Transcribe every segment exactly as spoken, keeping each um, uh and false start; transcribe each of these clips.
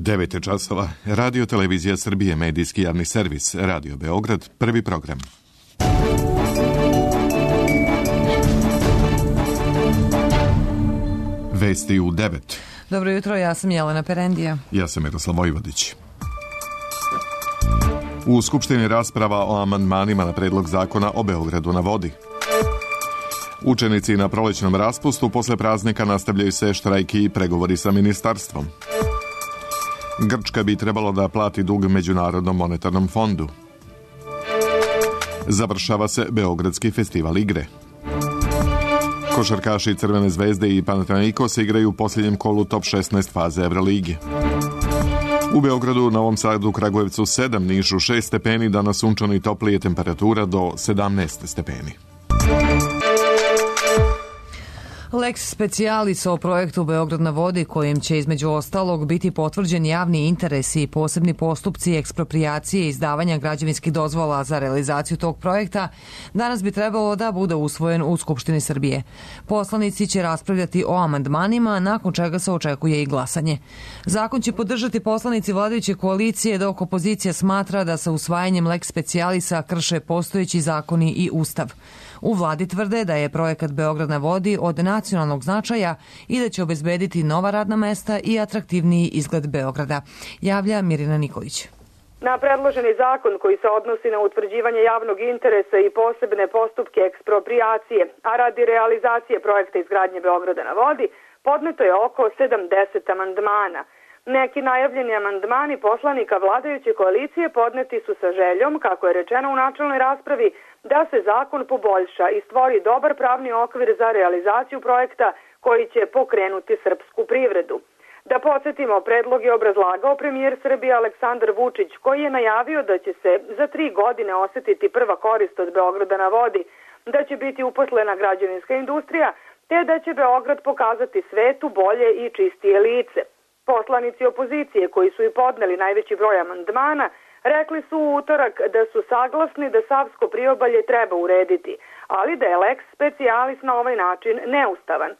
devet je časova. Radio Televizija Srbije, medijski javni servis, Radio Beograd, prvi program. Vesti u devet. Dobro jutro, ja sam Jelena Perendija. Ja sam Miroslav Vojvodić. U Skupštini rasprava o amandmanima na predlog zakona o Beogradu na vodi. Učenici na prolećnom raspustu posle praznika nastavljaju se štrajki i pregovori sa ministarstvom. Grčka bi trebalo da plati dug Međunarodnom monetarnom fondu. Završava se Beogradski festival igre. Košarkaši Crvene zvezde i Panathinaikos igraju u posljednjem kolu top šesnaest faze Evroligi. U Beogradu, Novom Sadu, Kragujevcu sedam, Nišu šest stepeni, danas sunčano i toplije, temperatura do sedamnaest stepeni. Lex specialis o projektu Beograd na vodi, kojim će između ostalog biti potvrđen javni interesi i posebni postupci eksproprijacije i izdavanja građevinskih dozvola za realizaciju tog projekta, danas bi trebalo da bude usvojen u Skupštini Srbije. Poslanici će raspravljati o amandmanima, nakon čega se očekuje i glasanje. Zakon će podržati poslanici vladajuće koalicije, dok opozicija smatra da sa usvajanjem Lex specialisa krše postojeći zakoni i ustav. U vladi tvrde da je projekat Beograd na vodi od nacionalnog značaja i da će obezbediti nova radna mesta i atraktivniji izgled Beograda, javlja Mirina Nikolić. Na predloženi zakon koji se odnosi na utvrđivanje javnog interesa i posebne postupke eksproprijacije, a radi realizacije projekta izgradnje Beograda na vodi, podneto je oko sedamdeset amandmana. Neki najavljeni amandmani poslanika vladajuće koalicije podneti su sa željom, kako je rečeno u načelnoj raspravi, da se zakon poboljša i stvori dobar pravni okvir za realizaciju projekta koji će pokrenuti srpsku privredu. Da podsjetimo, predlog je obrazlagao premijer Srbije Aleksandar Vučić, koji je najavio da će se za tri godine osetiti prva korist od Beograda na vodi, da će biti uposlena građevinska industrija, te da će Beograd pokazati svetu bolje i čistije lice. Poslanici opozicije, koji su i podneli najveći broj amandmana, rekli su u utorak da su saglasni da Savsko priobalje treba urediti, ali da je lex specialis na ovaj način neustavan.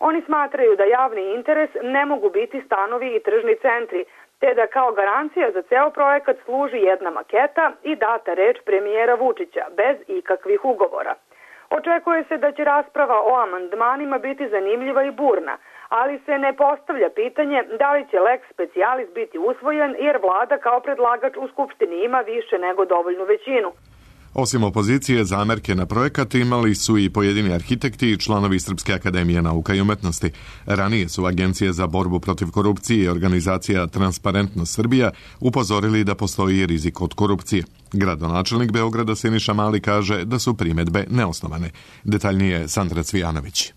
Oni smatraju da javni interes ne mogu biti stanovi i tržni centri, te da kao garancija za ceo projekat služi jedna maketa i data reč premijera Vučića, bez ikakvih ugovora. Očekuje se da će rasprava o amandmanima biti zanimljiva i burna, ali se ne postavlja pitanje da li će lex specialis biti usvojen, jer vlada kao predlagač u Skupštini ima više nego dovoljnu većinu. Osim opozicije, zamerke na projekat imali su i pojedini arhitekti i članovi Srpske akademije nauka i umetnosti. Ranije su Agencije za borbu protiv korupcije i organizacija Transparentnost Srbija upozorili da postoji rizik od korupcije. Gradonačelnik Beograda Siniša Mali kaže da su primedbe neosnovane. Detaljnije Sandra Cvijanović.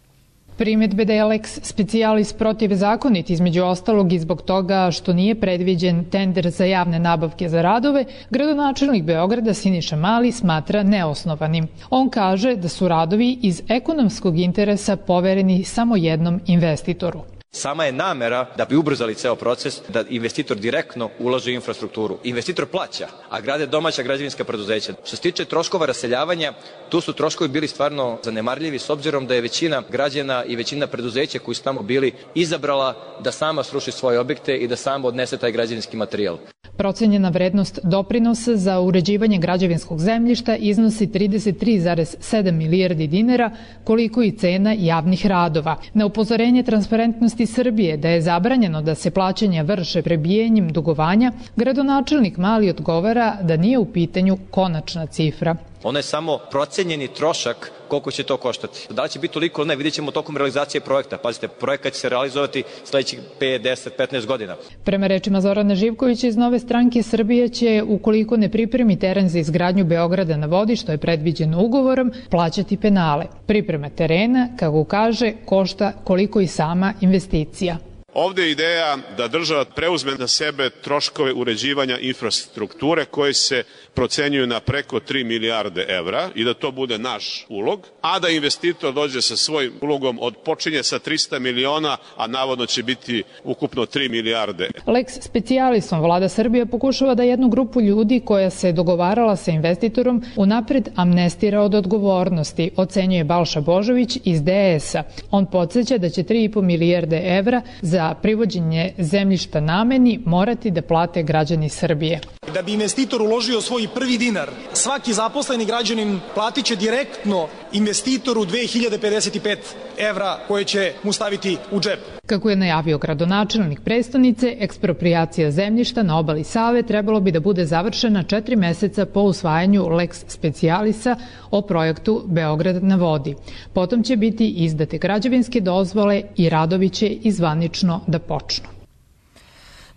Primedbe da je lex specialis protivzakonit između ostalog i zbog toga što nije predviđen tender za javne nabavke za radove, gradonačelnik Beograda Siniša Mali smatra neosnovanim. On kaže da su radovi iz ekonomskog interesa povereni samo jednom investitoru. Sama je namera da bi ubrzali ceo proces, da investitor direktno ulaže u infrastrukturu. Investitor plaća, a grade domaća građevinska preduzeća. Što se tiče troškova raseljavanja, tu su troškovi bili stvarno zanemarljivi s obzirom da je većina građana i većina preduzeća koji su tamo bili izabrala da sama sruši svoje objekte i da sama odnese taj građevinski materijal. Procenjena vrednost doprinosa za uređivanje građevinskog zemljišta iznosi trideset tri zarez sedam milijardi dinara, koliko i cena javnih radova. Na upozorenje Transparentnosti Srbije da je zabranjeno da se plaćanja vrše prebijanjem dugovanja, gradonačelnik Mali odgovara da nije u pitanju konačna cifra. Ono je samo procenjeni trošak koliko će to koštati. Da li će biti toliko ili ne, vidjet ćemo tokom realizacije projekta. Pazite, projekat će se realizovati sledećih pet, deset, petnaest godina. Prema rečima Zorana Živkovića iz Nove stranke Srbije će, ukoliko ne pripremi teren za izgradnju Beograda na vodi, što je predviđeno ugovorom, plaćati penale. Priprema terena, kako kaže, košta koliko i sama investicija. Ovde je ideja da država preuzme na sebe troškove uređivanja infrastrukture koji se procenjuju na preko tri milijarde evra i da to bude naš ulog, a da investitor dođe sa svojim ulogom od počinje sa trista miliona, a navodno će biti ukupno tri milijarde. Lex specialisom vlada Srbije pokušava da jednu grupu ljudi koja se dogovarala sa investitorom unapred amnestira od odgovornosti, ocenjuje Balša Božović iz D S A. On podsjeća da će tri i po milijarde evra za za privođenje zemljišta nameni morati da plate građani Srbije. Da bi investitor uložio svoj prvi dinar, svaki zaposleni građanin platit će direktno investitoru dve hiljade pedeset pet evra koje će mu staviti u džep. Kako je najavio gradonačelnik prestonice, eksproprijacija zemljišta na obali Save trebalo bi da bude završena četiri meseca po usvajanju lex specialisa o projektu Beograd na vodi. Potom će biti izdate građevinske dozvole i radovi će i zvanično da počnu.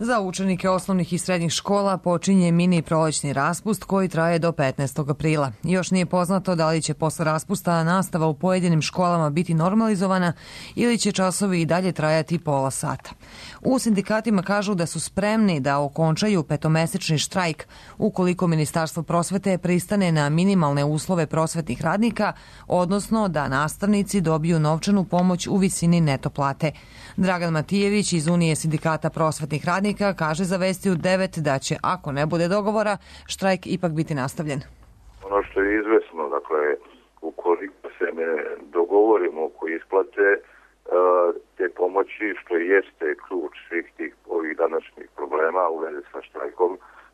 Za učenike osnovnih i srednjih škola počinje mini prolećni raspust koji traje do petnaestog aprila. Još nije poznato da li će posle raspusta nastava u pojedinim školama biti normalizovana ili će časovi i dalje trajati pola sata. U sindikatima kažu da su spremni da okončaju petomesečni štrajk ukoliko Ministarstvo prosvete pristane na minimalne uslove prosvetnih radnika, odnosno da nastavnici dobiju novčanu pomoć u visini neto plate. Dragan Matijević iz Unije sindikata prosvetnih radnika kaže za Vesti u devet da će, ako ne bude dogovora, štrajk ipak biti nastavljen. Ono što je izvesno, dakle, ukoliko se ne dogovorimo oko isplate te pomoći, što jeste ključ svih tih ovih današnjih problema u vezi sa štrajkom,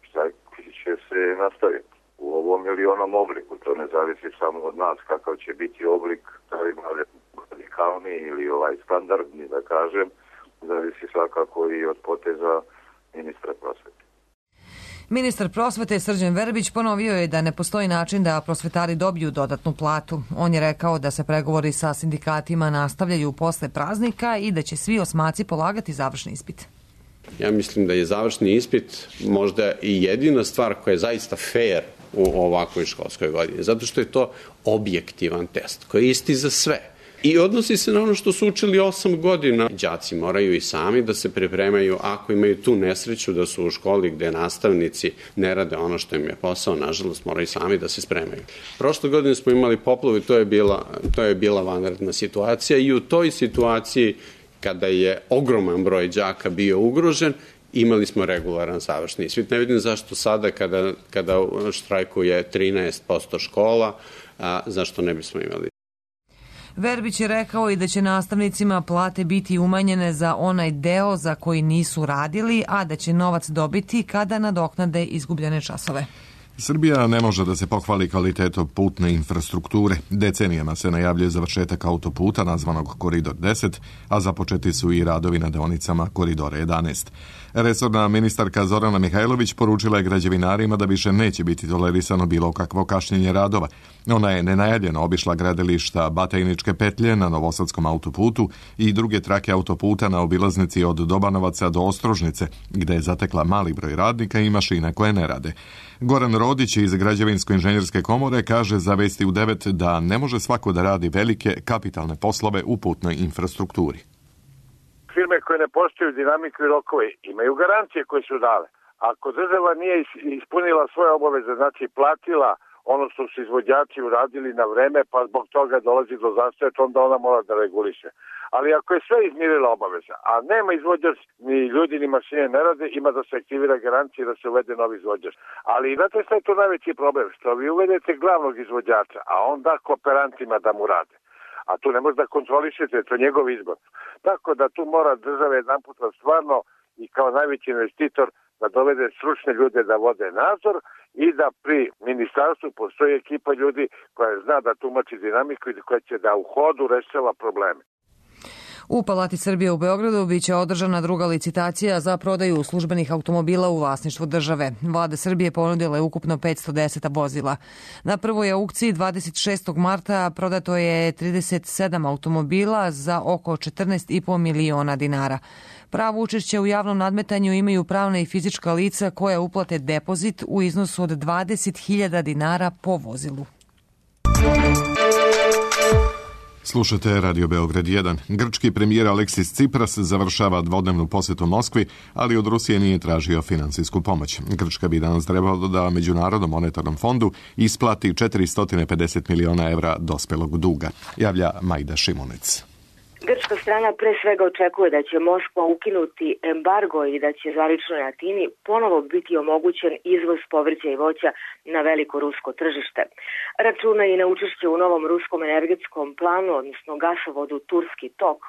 štrajk će se nastaviti u ovom ili onom obliku. To ne zavisi samo od nas kakav će biti oblik, da li radikalni ili ovaj standardni, da kažem, zavisi svakako i od poteza ministra prosvete. Ministar prosvete Srđan Verbić ponovio je da ne postoji način da prosvetari dobiju dodatnu platu. On je rekao da se pregovori sa sindikatima nastavljaju posle praznika i da će svi osmaci polagati završni ispit. Ja mislim da je završni ispit možda i jedina stvar koja je zaista fair u ovakvoj školskoj godini, zato što je to objektivan test koji je isti za sve. I odnosi se na ono što su učili osam godina. Đaci moraju i sami da se pripremaju ako imaju tu nesreću da su u školi gde nastavnici ne rade ono što im je posao, nažalost moraju sami da se spremaju. Prošle godine smo imali poplavu i to je bila, to je bila vanredna situacija i u toj situaciji kada je ogroman broj đaka bio ugrožen, imali smo regularan završni ispit. Ne vidim zašto sada kada, kada štrajkuje trinaest posto škola, a zašto ne bismo imali. Verbić je rekao i da će nastavnicima plate biti umanjene za onaj deo za koji nisu radili, a da će novac dobiti kada nadoknade izgubljene časove. Srbija ne može da se pohvali kvalitetom putne infrastrukture. Decenijama se najavljuje završetak autoputa nazvanog Koridor deset, a započeti su i radovi na deonicama Koridora jedanaest. Resorna ministarka Zorana Mihajlović poručila je građevinarima da više neće biti tolerisano bilo kakvo kašnjenje radova. Ona je nenajavljeno obišla gradilišta Batajničke petlje na Novosadskom autoputu i druge trake autoputa na obilaznici od Dobanovaca do Ostrožnice, gde je zatekla mali broj radnika i mašina koje ne rade. Goran Rodić iz Građevinsko-inženjerske komore kaže za Vesti u devet da ne može svako da radi velike kapitalne poslove u putnoj infrastrukturi. Firme koje ne poštuju dinamiku i rokove imaju garancije koje su dale. Ako država nije ispunila svoje obaveze, znači platila ono što su izvođači uradili na vreme, pa zbog toga dolazi do zastoja, onda ona mora da reguliše. Ali ako je sve izmirila obaveza, a nema izvođač, ni ljudi, ni mašine ne rade, ima da se aktivira garancija i da se uvede novi izvođač. Ali znate šta je to najveći problem? Što vi uvedete glavnog izvođača, a on da kooperantima da mu rade. A tu ne može da kontrolišete, to je njegov izbor. Tako da tu mora država jedan put stvarno i kao najveći investitor da dovede stručne ljude da vode nadzor i da pri ministarstvu postoji ekipa ljudi koja zna da tumači dinamiku i koja će da u hodu rešava probleme. U Palati Srbije u Beogradu biće održana druga licitacija za prodaju službenih automobila u vlasništvu države. Vlada Srbije ponudila je ukupno petsto deset vozila. Na prvoj aukciji dvadeset šestog marta prodato je trideset sedam automobila za oko četrnaest i po miliona dinara. Pravo učešće u javnom nadmetanju imaju pravna i fizička lica koja uplate depozit u iznosu od dvadeset hiljada dinara po vozilu. Slušate Radio Beograd jedan. Grčki premijer Aleksis Cipras završava dvodnevnu posetu Moskvi, ali od Rusije nije tražio finansijsku pomoć. Grčka bi danas trebalo da Međunarodnom monetarnom fondu isplati četiristo pedeset miliona evra dospelog duga, javlja Majda Šimunec. Grčka strana pre svega očekuje da će Moskva ukinuti embargo i da će zvaničnoj Atini ponovo biti omogućen izvoz povrća i voća na veliko rusko tržište. Računa i na učešće u novom ruskom energetskom planu, odnosno gasovodu Turski tok,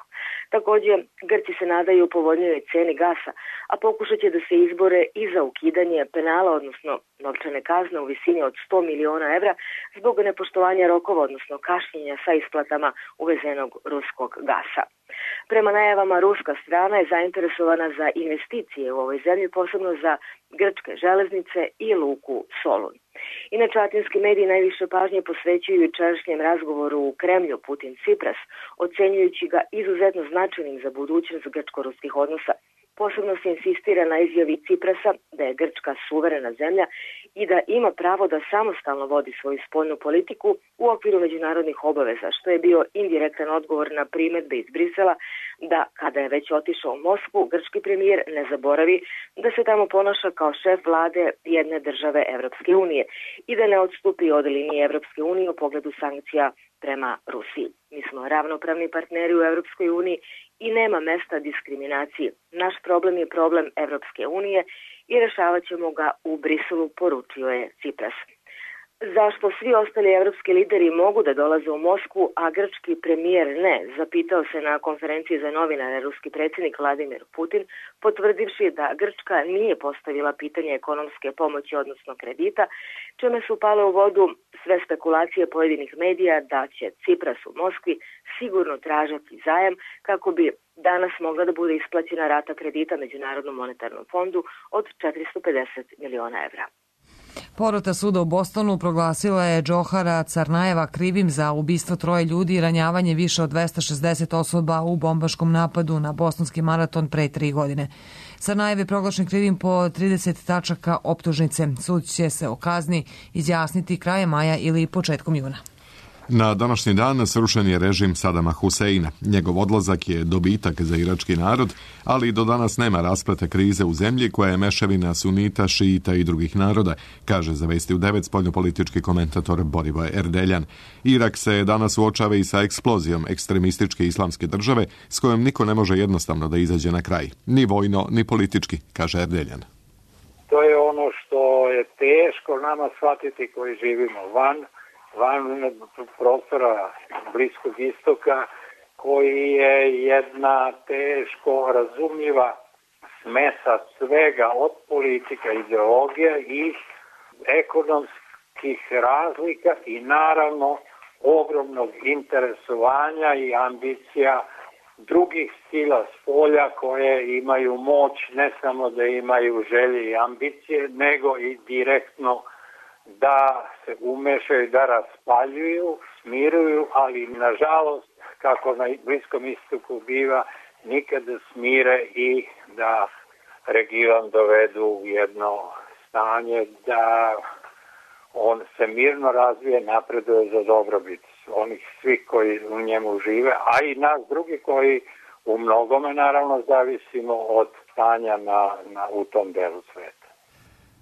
Takođe, Grci se nadaju povoljnijoj ceni gasa, a pokušat će da se izbore i za ukidanje penala, odnosno novčane kazne u visini od sto miliona evra zbog nepoštovanja rokova, odnosno kašnjenja sa isplatama uvezenog ruskog gasa. Prema najavama, ruska strana je zainteresovana za investicije u ovoj zemlji, posebno za grčke železnice i luku Solun. Inače, atinski mediji najviše pažnje posvećuju jučerašnjem razgovoru u Kremlju Putin-Cipras, ocenjujući ga izuzetno značajnim za budućnost grčko-ruskih odnosa. Posebno se insistira na izjavi Ciprasa da je Grčka suverena zemlja i da ima pravo da samostalno vodi svoju spoljnu politiku u okviru međunarodnih obaveza, što je bio indirektan odgovor na primedbe iz Brisela da kada je već otišao u Moskvu, grčki premijer ne zaboravi da se tamo ponaša kao šef vlade jedne države Evropske unije i da ne odstupi od linije Evropske unije u pogledu sankcija prema Rusiji. Mi smo ravnopravni partneri u Evropskoj uniji i nema mesta diskriminaciji. Naš problem je problem Evropske unije i rešavat ćemo ga u Briselu, poručio je Cipras. Zašto svi ostali evropski lideri mogu da dolaze u Moskvu, a grčki premijer ne, zapitao se na konferenciji za novinare ruski predsjednik Vladimir Putin, potvrdivši da Grčka nije postavila pitanje ekonomske pomoći, odnosno kredita, čime su pale u vodu sve spekulacije pojedinih medija da će Cipras u Moskvi sigurno tražiti zajam kako bi danas mogla da bude isplaćena rata kredita Međunarodnom monetarnom fondu od četiristo pedeset miliona evra. Porota suda u Bostonu proglasila je Džohara Carnajeva krivim za ubistvo troje ljudi i ranjavanje više od dvesta šezdeset osoba u bombaškom napadu na bostonski maraton pre tri godine. Carnajev je proglašen krivim po trideset tačaka optužnice. Sud će se o kazni izjasniti krajem maja ili početkom juna. Na današnji dan srušen je režim Sadama Huseina. Njegov odlazak je dobitak za irački narod, ali do danas nema rasplete krize u zemlji koja je mešavina sunita, šiita i drugih naroda, kaže za Vesti u devet spoljnopolitički komentator Borivoje Erdeljan. Irak se danas suočava i sa eksplozijom ekstremističke islamske države s kojom niko ne može jednostavno da izađe na kraj. Ni vojno, ni politički, kaže Erdeljan. To je ono što je teško nama shvatiti koji živimo van van prostora Bliskog istoka, koji je jedna teško razumljiva smesa svega od politika, ideologija i ekonomskih razlika i naravno ogromnog interesovanja i ambicija drugih sila s polja koje imaju moć ne samo da imaju želje i ambicije, nego i direktno da se umešaju, da raspaljuju, smiruju, ali nažalost, kako na Bliskom istoku biva, nikada smire i da region dovedu u jedno stanje da on se mirno razvije, napreduje za dobrobit onih svih koji u njemu žive, a i nas drugi koji u mnogome naravno zavisimo od stanja na, na, u tom delu sveta.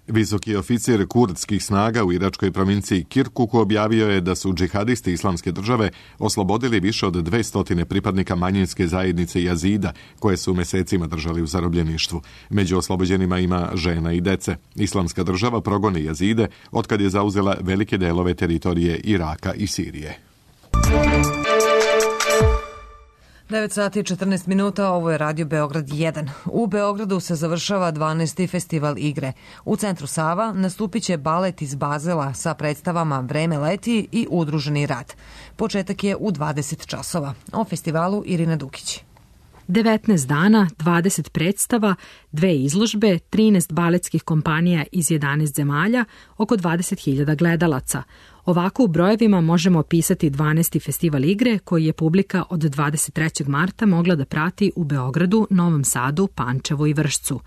Visoki oficir kurdskih snaga u iračkoj provinciji Kirkuku objavio je da su džihadisti islamske države oslobodili više od dvesta pripadnika manjinske zajednice Jazida, koje su mesecima držali u zarobljeništvu. Među oslobođenima ima žena i dece. Islamska država progoni Jazide otkad je zauzela velike delove teritorije Iraka i Sirije. devet sati i četrnaest minuta, ovo je Radio Beograd jedan. U Beogradu se završava dvanaesti festival igre. U centru Sava nastupit će balet iz Bazela sa predstavama Vreme leti i Udruženi rad. Početak je u dvadeset časova. O festivalu Irina Dukić. devetnaest dana, dvadeset predstava, dve izložbe, trinaest baletskih kompanija iz jedanaest zemalja, oko dvadeset hiljada gledalaca. Ovako u brojevima možemo opisati dvanaesti festival igre koji je publika od dvadeset trećeg marta mogla da prati u Beogradu, Novom Sadu, Pančevu i Vršcu.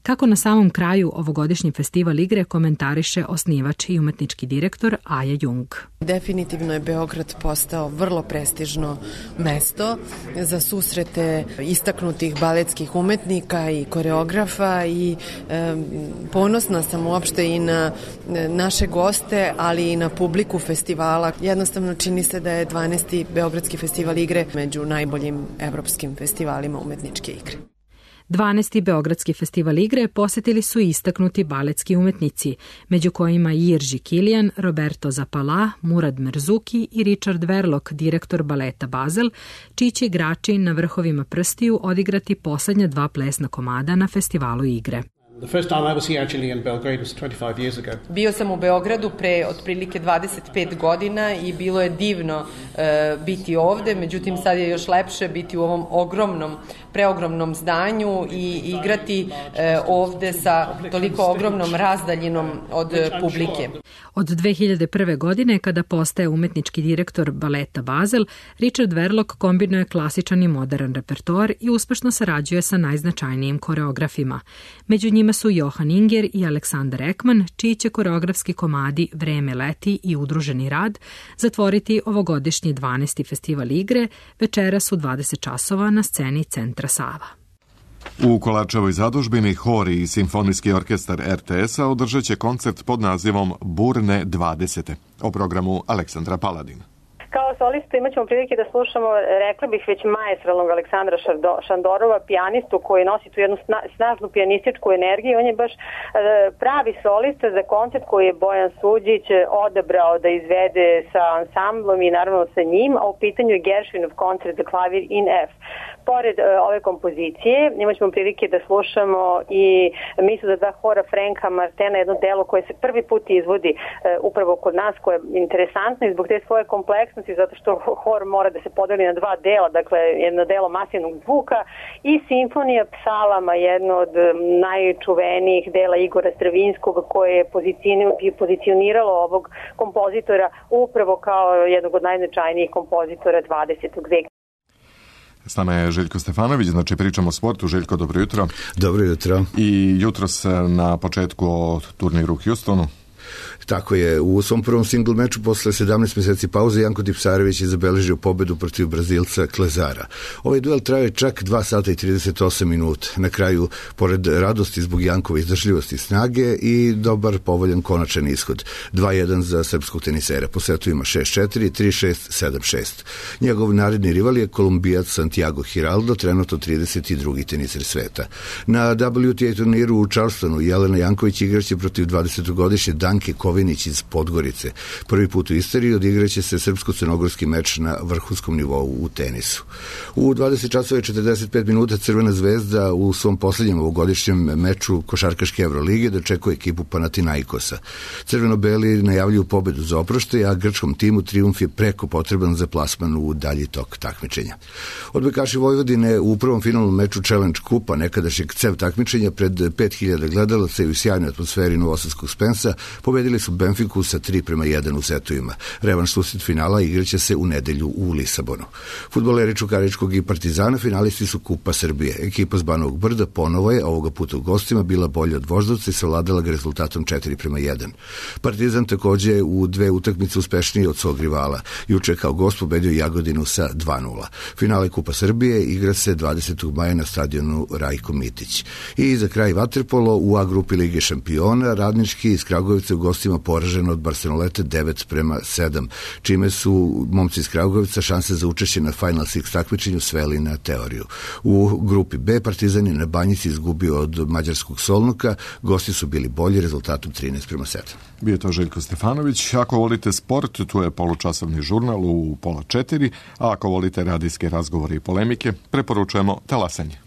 Kako na samom kraju ovogodišnji festival igre komentariše osnivač i umetnički direktor Aja Jung. Definitivno je Beograd postao vrlo prestižno mesto za susrete istaknutih baletskih umetnika i koreografa i e, ponosna sam uopšte i na naše goste, ali i na publiku festivala. Jednostavno čini se da je dvanaesti Beogradski festival igre među najboljim evropskim festivalima umetničke igre. dvanaesti Beogradski festival igre posetili su istaknuti baletski umetnici, među kojima Jirži Kilijan, Roberto Zapala, Murad Merzuki i Richard Verlock, direktor baleta Basel, čiji će igrači na vrhovima prstiju odigrati poslednja dva plesna komada na festivalu igre. Bio sam u Beogradu pre otprilike dvadeset pet godina i bilo je divno e, biti ovde, međutim sad je još lepše biti u ovom ogromnom, preogromnom zdanju i igrati e, ovde sa toliko ogromnom razdaljinom od publike. Od dve hiljade prve. godine, kada postaje umetnički direktor baleta Basel, Richard Verlock kombinuje klasičan i modern repertoar i uspešno sarađuje sa najznačajnijim koreografima. Među njima su Johan Inger i Aleksandar Ekman, čiji će koreografski komadi Vreme leti i Udruženi rad zatvoriti ovogodišnji dvanaesti festival igre večeras u dvadeset časova na sceni Centra Sava. U Kolačevoj zadužbini Hor i Simfonijski orkestar er te es-a održat će koncert pod nazivom Burne dvadesete. O programu Aleksandra Paladin. Kao solistu imat ćemo prilike da slušamo, rekla bih, već maestralnog Aleksandra Šandorova, pijanistu koji nosi tu jednu snažnu pijanističku energiju. On je baš pravi solista za koncert koji je Bojan Suđić odabrao da izvede sa ansamblom i naravno sa njim, a u pitanju je Gershwinov koncert za klavir in F. Pored ove kompozicije imat ćemo prilike da slušamo i misu za dva hora Franka Martena, jedno delo koje se prvi put izvodi upravo kod nas, koje je interesantno i zbog te svoje kompleksnosti, zato što hor mora da se podeli na dva dela, dakle jedno delo masivnog zvuka i simfonija psalama, jedno od najčuvenijih dela Igora Stravinskog, koje je pozicioniralo ovog kompozitora upravo kao jednog od najznačajnijih kompozitora dvadesetog veka. S nama je Željko Stefanović, znači pričamo o sportu. Željko, dobro jutro. Dobro jutro. I jutros na početku o turniru u Houstonu. Tako je, u svom prvom singl meču posle sedamnaest meseci pauze Janko Tipsarević je zabeležio pobedu protiv Brazilca Klezara. Ovaj duel traje čak dva sata i trideset osam minuta. Na kraju, pored radosti zbog Jankove izdržljivosti i snage i dobar povoljan konačan ishod. dva jedan za srpskog tenisera. Po setu ima šest četiri, tri šest, sedam šest. Njegov naredni rival je Kolumbijac Santiago Giraldo, trenutno trideset drugi teniser sveta. Na W T A turniru u Charlestonu Jelena Janković igraće protiv dvadesetogodišnje Danke Kovinić iz Podgorice. Prvi put u istoriji odigraće se srpsko-crnogorski meč na vrhunskom nivou u tenisu. U dvadeset časova i četrdeset pet minuta Crvena zvezda u svom poslednjem ovogodišnjem meču košarkaške Evrolige dočekuje ekipu Panathinaikosa. Crveno-beli najavljuju pobedu za oproštaj, a grčkom timu trijumf je preko potreban za plasman u dalji tok takmičenja. Odbojkaši Vojvodine u prvom finalnom meču Challenge Kupa, nekadašnjeg C E V takmičenja pred pet hiljada gledalaca i u sjajnoj atmosferi novosadskog Spensa, pobedili su Benfiku sa tri prema jedan u setovima. Revanš susret finala igraće se u nedelju u Lisabonu. Fudbaleri Čukaričkog i Partizana finalisti su Kupa Srbije. Ekipa s Banovog Brda ponovo je, ovoga puta u gostima, bila bolja od Voždovca i savladala ga rezultatom četiri prema jedan. Partizan takođe u dve utakmice uspešniji od svog rivala. Juče kao gost pobedio Jagodinu sa dva nula. Finale Kupa Srbije igra se dvadesetog maja na stadionu Rajko Mitić. I za kraj vaterpolo u A grupi Lige šampiona Radnički iz Kragujevca u gostima poražen od Barcelonete devet prema sedam, čime su momci iz Kragujevca šanse za učešće na Final Six takmičenju sveli na teoriju. U grupi B Partizan je na Banjici izgubio od mađarskog Solnuka, gosti su bili bolji rezultatom trinaest prema sedam. Bio to Željko Stefanović. Ako volite sport, tu je polučasovni žurnal u pola četiri, a ako volite radijske razgovore i polemike, preporučujemo Talasanje.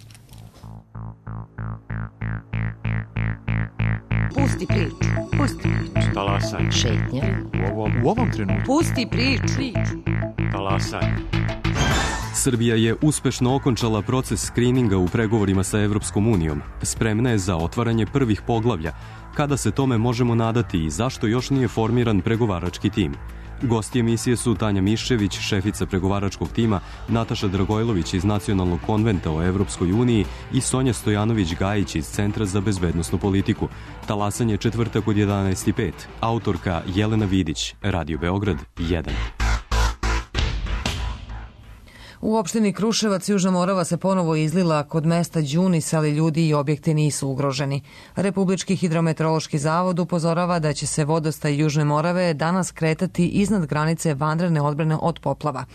Pusti priču, pusti priču. Talasanje. Šetnja. U ovom, u ovom trenutku. Pusti priču. Talasanje. Srbija je uspešno okončala proces skrininga u pregovorima sa Evropskom unijom. Spremna je za otvaranje prvih poglavlja. Kada se tome možemo nadati i zašto još nije formiran pregovarački tim? Gosti emisije su Tanja Miščević, šefica pregovaračkog tima, Nataša Dragojlović iz Nacionalnog konventa o Evropskoj uniji i Sonja Stojanović-Gajić iz Centra za bezbednosnu politiku. Talasanje četvrtak od jedanaest i pet. Autorka Jelena Vidić, Radio Beograd jedan. U opštini Kruševac Južna Morava se ponovo izlila kod mesta Đunis, ali ljudi i objekti nisu ugroženi. Republički hidrometeorološki zavod upozorava da će se vodostaj Južne Morave danas kretati iznad granice vanredne odbrane od poplava.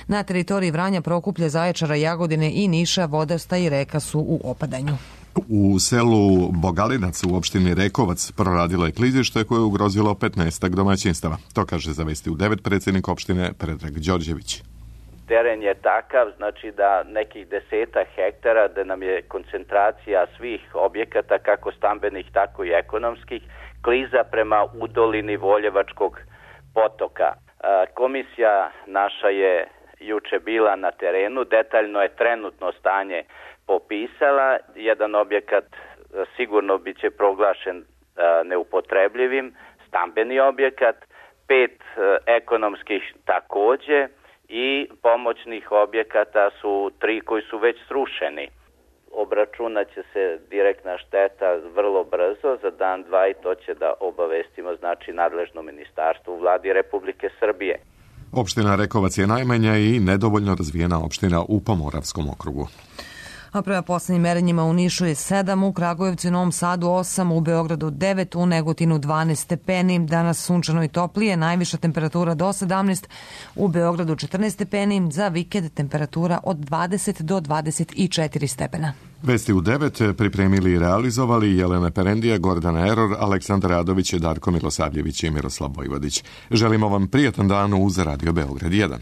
Na teritoriji Vranja, Prokuplja, Zaječara, Jagodine i Niša vodostaj i reka su u opadanju. U selu Bogalinac u opštini Rekovac proradilo je klizište koje je ugrozilo petnaest domaćinstava. To kaže za Vesti u devet predsjednik opštine Predrag Đorđević. Teren je takav, znači da nekih desetak hektara, da nam je koncentracija svih objekata, kako stambenih, tako i ekonomskih, kliza prema udolini Voljevačkog potoka. Komisija naša je juče bila na terenu, detaljno je trenutno stanje popisala. Jedan objekat sigurno biće proglašen neupotrebljivim, stambeni objekat, pet ekonomskih takođe, i pomoćnih objekata su tri koji su već srušeni. Obračunat će se direktna šteta vrlo brzo, za dan, dva, i to će da obavestimo, znači, nadležno ministarstvo u vladi Republike Srbije. Opština Rekovac je najmanja i nedovoljno razvijena opština u Pomoravskom okrugu. A prema poslednjim merenjima u Nišu je sedam, u Kragujevcu i Novom Sadu osam, u Beogradu devet, u Negotinu dvanaest stepeni, danas sunčano i toplije, najviša temperatura do sedamnaest, u Beogradu četrnaest stepeni, za vikend temperatura od dvadeset do dvadeset četiri stepena. Vesti u devet pripremili i realizovali Jelena Perendija, Gordana Eror, Aleksandar Radović, Darko Milosavljević i Miroslav Vojvodić. Želimo vam prijatan dan uz Radio Beograd jedan.